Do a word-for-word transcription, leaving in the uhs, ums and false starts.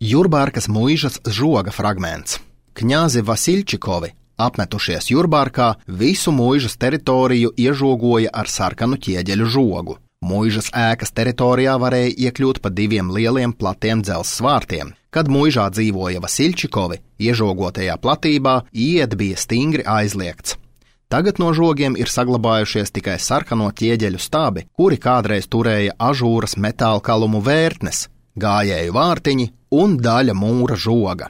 Jurbārkas muižas žoga fragments. Kņāzi Vasiļčikovi, apmetušies Jurbārkā, visu muižas teritoriju iežogoja ar sarkanu ķieģeļu žogu. Muižas ēkas teritorijā varēja iekļūt pa diviem lieliem platiem dzelzs vārtiem. Kad muižā dzīvoja Vasiļčikovi, iežogotajā platībā iet bija stingri aizliegts. Tagad no žogiem ir saglabājušies tikai sarkano ķieģeļu stābi, kuri kādreiz turēja ažūras metālkalumu vērtnes, gājēju vārtiņi un daļa mūra žoga.